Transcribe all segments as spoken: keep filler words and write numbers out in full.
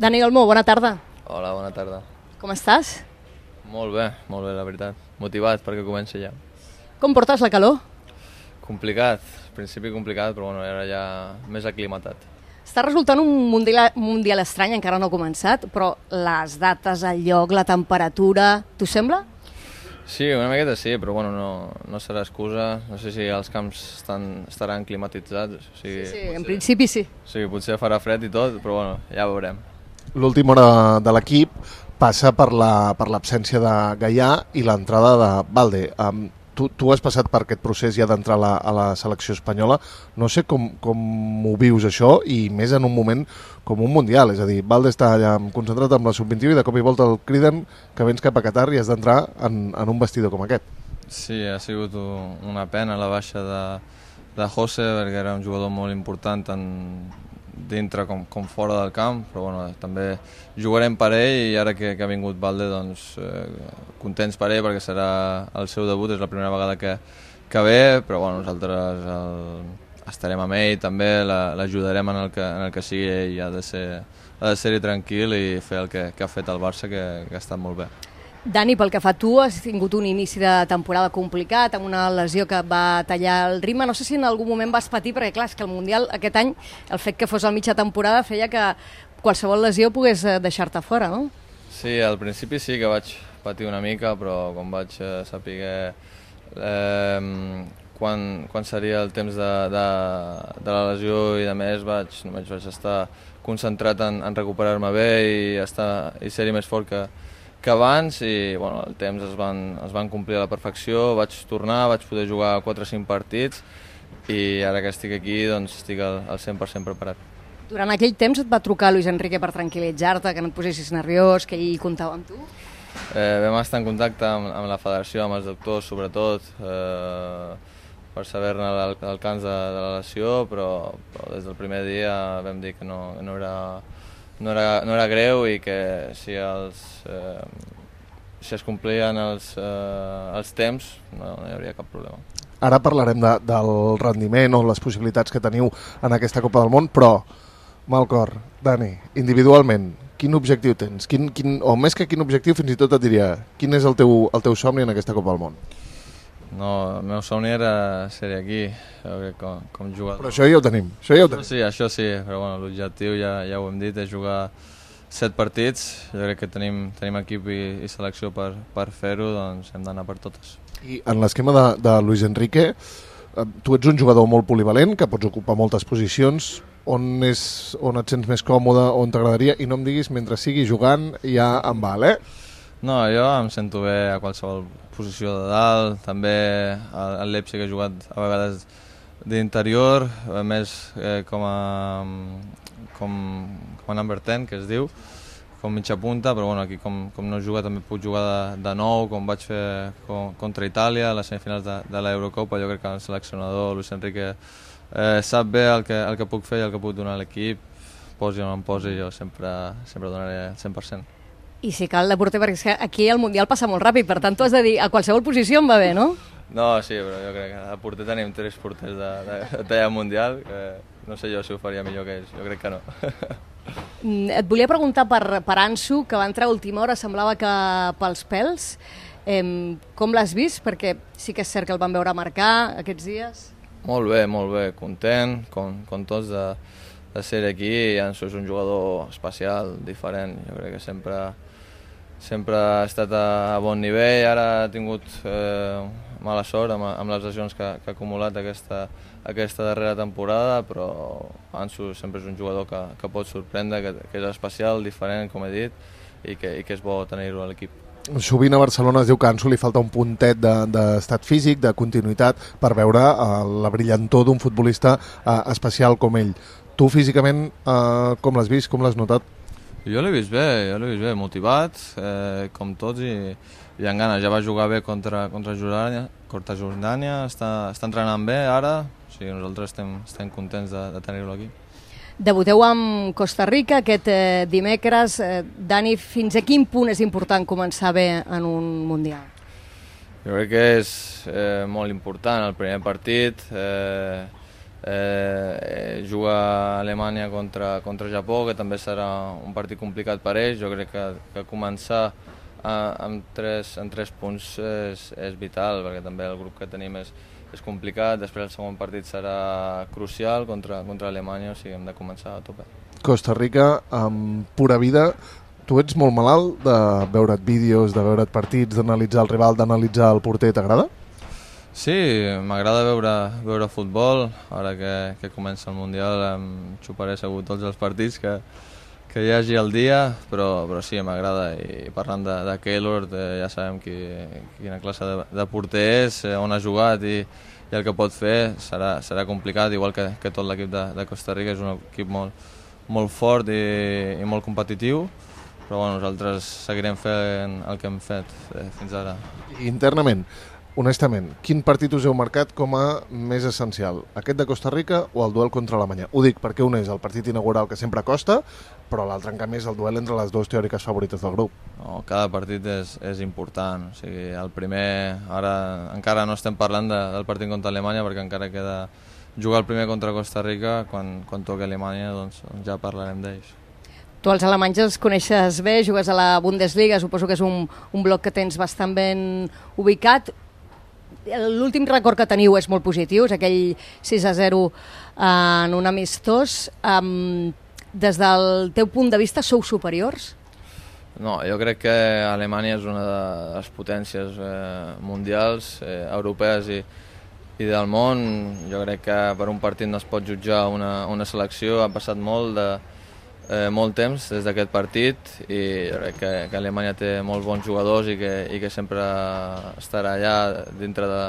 Dani Olmo, bona tarda. Hola, bona tarda. Com estàs? Molt bé, molt bé, la veritat. Motivat perquè comença ja. Com portes la calor? Complicat, al principi complicat, però bueno, ara ja més aclimatat. Està resultant un mundial, mundial estrany, encara no ha començat, però les dates, el lloc, la temperatura, t'ho sembla? Sí, una miqueta sí, però bueno, no, no serà excusa. No sé si els camps estan, estaran climatitzats. O sigui, Sí, sí, potser, en principi sí. O sigui, potser farà fred i tot, però bueno, ja veurem. L'última hora de l'equip passa per la, per l'absència de Gaià i l'entrada de Balde. Um, tu, tu has passat per aquest procés ja d'entrar a, la, a la selecció espanyola. No sé com, com ho vius això, i més en un moment com un mundial. És a dir, Balde està allà concentrat amb la sub vint-i-u i de cop i volta el criden que vens cap a Qatar i has d'entrar en, en un vestidor com aquest. Sí, ha sigut una pena la baixa de, de José, perquè era un jugador molt important tant dintre com, com fora del camp, però bueno, també jugarem per ell, i ara que, que ha vingut Balde, doncs eh, contents per ell perquè serà el seu debut, és la primera vegada que, que ve, però bueno, nosaltres el, estarem amb ell també, l'ajudarem en, el que, en el que sigui ell. Ha de ser, ha de ser-hi tranquil i fer el que, que ha fet el Barça, que, que ha estat molt bé. Dani, pel que fa a tu, has tingut un inici de temporada complicat, amb una lesió que va tallar el ritme. No sé si en algun moment vas patir, perquè clar, és que el Mundial aquest any, el fet que fos a mitja temporada feia que qualsevol lesió pogués deixar-te fora, no? Sí, al principi sí que vaig patir una mica, però quan vaig saber eh, quan, quan seria el temps de, de, de la lesió i de més, vaig, només vaig estar concentrat en, en recuperar-me bé i, estar, i ser-hi més fort que, que abans, i bueno, el temps es van, es van complir a la perfecció. Vaig tornar, vaig poder jugar quatre o cinc partits, i ara que estic aquí doncs estic al, al cent per cent preparat. Durant aquell temps et va trucar Luis Enrique per tranquil·litzar-te, que no et posessis nerviós, que ell comptava amb tu? Eh, vam estar en contacte amb, amb la federació, amb els doctors sobretot, eh, per saber-ne l'alcance de, de la lesió, però, però des del primer dia vam dir que no, no era... No era, no era greu, i que si, els, eh, si es complien els, eh, els temps no, no hi hauria cap problema. Ara parlarem de, del rendiment o les possibilitats que teniu en aquesta Copa del Món, però, Malcor, Dani, individualment, quin objectiu tens? Quin, quin, o més que quin objectiu, fins i tot et diria, quin és el teu, el teu somni en aquesta Copa del Món? No, el meu somni era ser aquí, com, com jugador. Però això ja ho tenim, això ja ho tenim. Sí, això sí, però bueno, l'objectiu ja, ja ho hem dit, és jugar set partits. Jo crec que tenim, tenim equip i, i selecció per, per fer-ho, doncs hem d'anar per totes. I en l'esquema de, de Luis Enrique, tu ets un jugador molt polivalent, que pots ocupar moltes posicions. On, és, on et sents més còmode, on t'agradaria? I no em diguis mentre sigui jugant ja em val, eh? No, jo em sento bé a qualsevol posició de dalt, també al Leipzig he jugat a vegades d'interior, més eh, com a com, com a number ten, que es diu, com mitja punta, però bueno, aquí com, com no juga també puc jugar de, de nou, com vaig fer com, contra Itàlia a les semifinals de, de l'Eurocopa. Jo crec que el seleccionador Luis Enrique eh, sap bé el que, el que puc fer i el que puc donar a l'equip, posi o no em posi, jo sempre, sempre donaré el cent per cent. I si cal de porter, perquè és que aquí el Mundial passa molt ràpid, per tant tu has de dir a qualsevol posició em va bé, no? No, sí, però jo crec que a porter tenim tres porters de, de, de talla mundial, que no sé jo si ho faria millor que ells, jo crec que no. Et volia preguntar per, per Ansu, que va entrar a última hora, semblava que pels pèls. Eh, com l'has vist? Perquè sí que és cert que el van veure marcar aquests dies. Molt bé, molt bé, content, com, com tots de, de ser aquí. Ansu és un jugador especial, diferent, jo crec que sempre... sempre ha estat a bon nivell. Ara ha tingut eh, mala sort amb, amb les lesions que, que ha acumulat aquesta, aquesta darrera temporada, però Ansu sempre és un jugador que, que pot sorprendre, que, que és especial, diferent, com he dit, i que, i que és bo tenir-ho a l'equip. Sovint a Barcelona es diu que a Ansu li falta un puntet d'estat de, físic, de continuïtat, per veure uh, la brillantor d'un futbolista uh, especial com ell. Tu físicament, uh, com l'has vist, com l'has notat? Jo l'he vist bé, jo l'he vist bé, motivat, eh, com tots, i, i amb ganes. Ja va jugar bé contra, contra Jordània, contra Jordània, està, està entrenant bé ara, o sigui, nosaltres estem, estem contents de, de tenir-lo aquí. Debuteu amb Costa Rica aquest eh, dimecres. Eh, Dani, fins a quin punt és important començar bé en un Mundial? Jo crec que és eh, molt important el primer partit. Eh, Eh, juga a Alemanya contra, contra Japó, que també serà un partit complicat per ells. Jo crec que, que començar a, amb, tres, amb tres punts és, és vital, perquè també el grup que tenim és, és complicat. Després el segon partit serà crucial contra, contra Alemanya, o sigui, hem de començar a tope. Costa Rica, amb pura vida. Tu ets molt malalt de veure't vídeos, de veure't partits, d'analitzar el rival, d'analitzar el porter, t'agrada? Sí, m'agrada veure, veure futbol. Ara que, que comença el Mundial em xuparé segur tots els partits que, que hi hagi al dia, però, però sí, m'agrada. I parlant de, de Keylor, eh, ja sabem qui, quina classe de, de porter és, on ha jugat i, i el que pot fer serà, serà complicat, igual que, que tot l'equip de, de Costa Rica. És un equip molt, molt fort i, i molt competitiu, però bueno, nosaltres seguirem fent el que hem fet eh, fins ara. Internament, honestament, quin partit us heu marcat com a més essencial? Aquest de Costa Rica o el duel contra Alemanya? Ho dic perquè un és el partit inaugural que sempre costa, però l'altre en canvi és el duel entre les dues teòriques favorites del grup. No, cada partit és, és important. O sigui, el primer, ara encara no estem parlant de, del partit contra Alemanya perquè encara queda jugar el primer contra Costa Rica. Quan, quan toqui Alemanya doncs, ja parlarem d'ells. Tu els alemanys els coneixes bé, jugues a la Bundesliga, suposo que és un, un bloc que tens bastant ben ubicat. L'últim record que teniu és molt positiu, és aquell sis a zero en un amistós. Um, des del teu punt de vista, sou superiors? No, jo crec que Alemanya és una de les potències eh, mundials, eh, europees i, i del món. Jo crec que per un partit no es pot jutjar una, una selecció. Ha passat molt de Eh, molt temps des d'aquest partit i jo crec que, que Alemanya té molts bons jugadors i que, i que sempre estarà allà dintre de,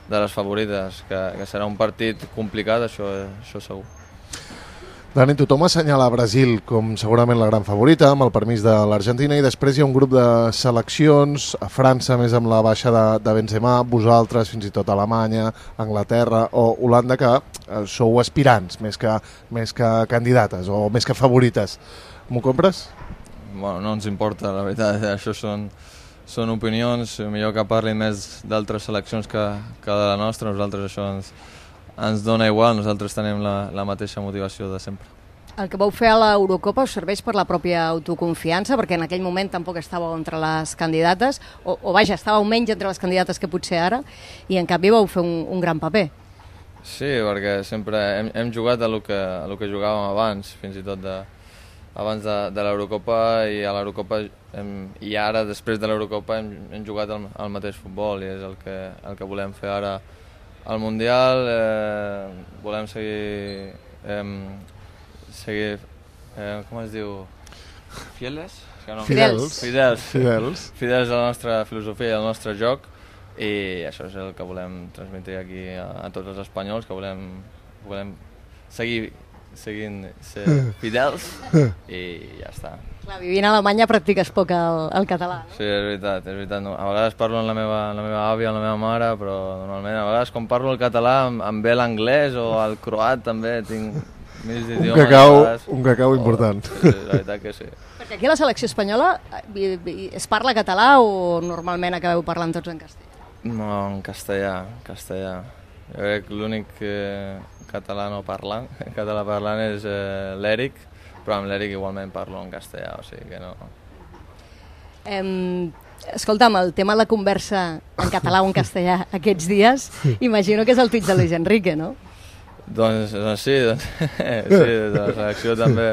de les favorites, que, que serà un partit complicat, això, això segur. Dani, tothom assenyala Brasil com segurament la gran favorita, amb el permís de l'Argentina, i després hi ha un grup de seleccions, a França més amb la baixa de, de Benzema, vosaltres, fins i tot Alemanya, Anglaterra o Holanda, que eh, sou aspirants més que, més que candidates o més que favorites. M'ho compres? Bueno, no ens importa, la veritat, això són, són opinions, millor que parlin més d'altres seleccions que, que de la nostra. Nosaltres això ens, ens dona igual, nosaltres tenim la, la mateixa motivació de sempre. El que vau fer a l'Eurocopa us serveix per la pròpia autoconfiança, perquè en aquell moment tampoc estàveu entre les candidates, o, o vaja, estàveu menys entre les candidates que potser ara, i en canvi vau fer un, un gran paper. Sí, perquè sempre hem, hem jugat a lo que, a lo que jugàvem abans, fins i tot de, abans de, de l'Eurocopa, i a l'Eurocopa i ara, després de l'Eurocopa, hem, hem jugat el, el mateix futbol, i és el que, el que volem fer ara al Mundial. Eh, volem seguir, eh, seguir eh, com es diu? Fieles? No. Fidels. Fidels. Fidels. Fidels a la nostra filosofia i al nostre joc, i això és el que volem transmetre aquí a, a tots els espanyols, que volem, volem seguir seguint ser fidels i ja està. Clar, vivint a Alemanya practiques poc el, el català, no? Sí, és veritat, és veritat. No. A vegades parlo amb la meva, amb la meva àvia, amb la meva mare, però normalment a vegades quan parlo el català em, em ve l'anglès o el croat també, tinc mig d'idiomes. Un cacau, un cacau important. Oh, sí, la veritat que sí. Perquè aquí a la selecció espanyola es parla català o normalment acabeu parlant tots en castellà? No, en castellà, castellà. Jo crec que l'únic eh, català no parlant, català parlant és eh, l'Eric, però amb l'Eric igualment parlo en castellà, o sigui que no... Eh, escolta'm, el tema de la conversa en català o en castellà aquests dies, imagino que és el tuit de Luis Enrique, no? Doncs, doncs sí, doncs, sí, de la selecció també,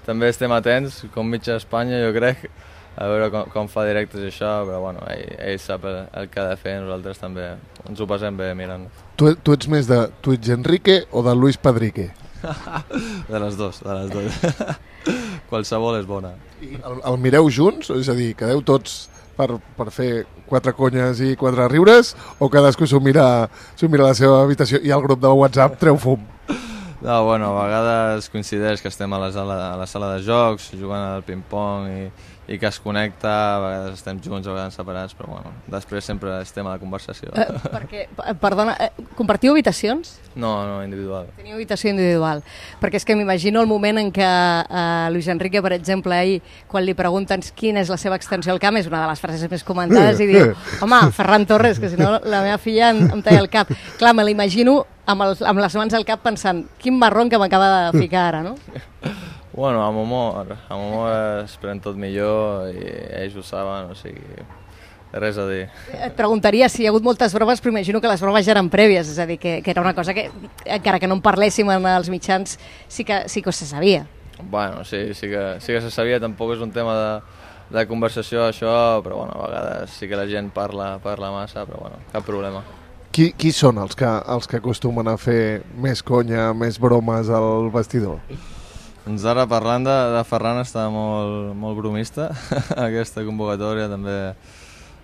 també estem atents, com mitja Espanya, jo crec, a veure com, com fa directes i això, però bueno, ell, ell sap el, el que ha de fer, nosaltres també ens ho passem bé mirant. Tu, tu ets més de tuits Enrique o de Luis Padrique? De les dues, de les dues. Qualsevol és bona. I el, el mireu junts? És a dir, quedeu tots per, per fer quatre conyes i quatre riures, o cadascú s'ho mira, s'ho mira a la seva habitació i al grup de WhatsApp treu fum? No, bueno, a vegades coincideix que estem a la sala, a la sala de jocs, jugant al ping-pong i, i que es connecta, a vegades estem junts, a vegades separats, però bueno, després sempre estem a la conversació. Eh, perquè, perdona, eh, compartiu habitacions? No, no, individual. Teniu habitació individual. Perquè és que m'imagino el moment en què eh, Luis Enrique, per exemple, ahir, quan li pregunten quina és la seva extensió al camp, és una de les frases més comentades, i diu, home, Ferran Torres, que si no la meva filla em, em talla el cap. Clar, me l'imagino amb, el, amb les mans al cap pensant quin marrón que m'acaba de ficar ara, no? Bueno, amb humor, amb humor esperem tot millor i ells ho saben, o sigui, res a dir. Et preguntaria si hi ha hagut moltes bromes, però imagino que les bromes ja eren prèvies, és a dir, que, que era una cosa que, encara que no en parléssim en els mitjans, sí que, sí que se sabia. Bueno, sí, sí que, sí que se sabia, tampoc és un tema de, de conversació això, però bueno, a vegades sí que la gent parla, parla massa, però bueno, cap problema. Qui, qui són els que, els que acostumen a fer més conya, més bromes al vestidor? Doncs ara parlant de, de Ferran està molt, molt bromista, aquesta convocatòria també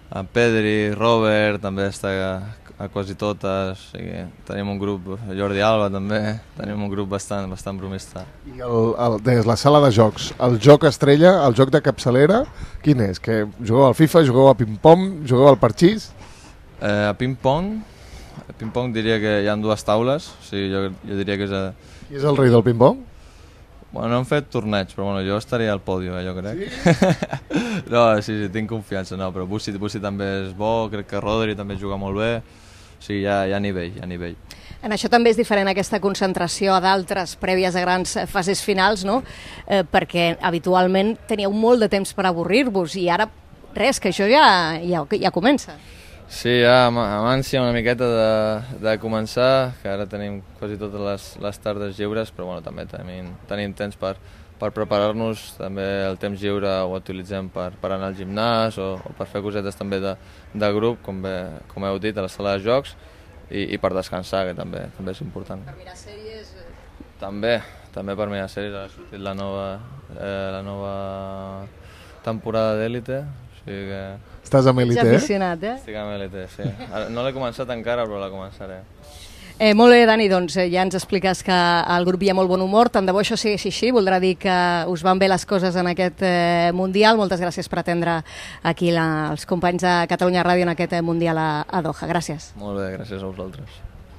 en Pedri, Robert, també està a, a quasi totes, o sigui, tenim un grup, Jordi Alba també, tenim un grup bastant, bastant bromista. I el, el, des la sala de jocs, el joc estrella, el joc de capçalera, quin és? Que jugueu al FIFA, jugueu a ping-pong, jugueu al parxís? Eh, a ping-pong, a ping-pong diria que hi ha dues taules, o sigui, jo, jo diria que és... A... Qui és el rei del ping-pong? Bueno, no hem fet torneig, però bueno, jo estaria al pòdio, eh, jo crec. Sí? no, sí, sí, tinc confiança, no, però Bussi, Bussi també és bo, crec que Rodri també juga molt bé, o sigui, hi ha, hi ha nivell, hi ha nivell. En això també és diferent aquesta concentració a d'altres prèvies a grans fases finals, no? Eh, perquè habitualment teníeu molt de temps per avorrir-vos i ara res, que això ja, ja, ja comença. Sí, ja amb, amb ànsia una miqueta de, de començar, que ara tenim quasi totes les, les tardes lliures, però bueno, també tenim, tenim temps per, per preparar-nos, també el temps lliure ho utilitzem per, per anar al gimnàs o, o per fer cosetes també de, de grup, com, bé, com heu dit, a la sala de jocs, i, i per descansar, que també, també és important. Per mirar sèries? També, també per mirar sèries, ha sortit la nova, eh, la nova temporada d'Élite, o sigui que... Estàs amb Élite, eh? aficionat, eh? Estic amb Élite, sí. No l'he començat encara, però la començaré. Eh, molt bé, Dani, doncs eh, ja ens expliques que al grup hi ha molt bon humor, tant de bo això sigui així, voldrà dir que us van bé les coses en aquest eh, Mundial. Moltes gràcies per atendre aquí la, els companys de Catalunya Ràdio en aquest eh, Mundial a, a Doha. Gràcies. Molt bé, gràcies a vosaltres.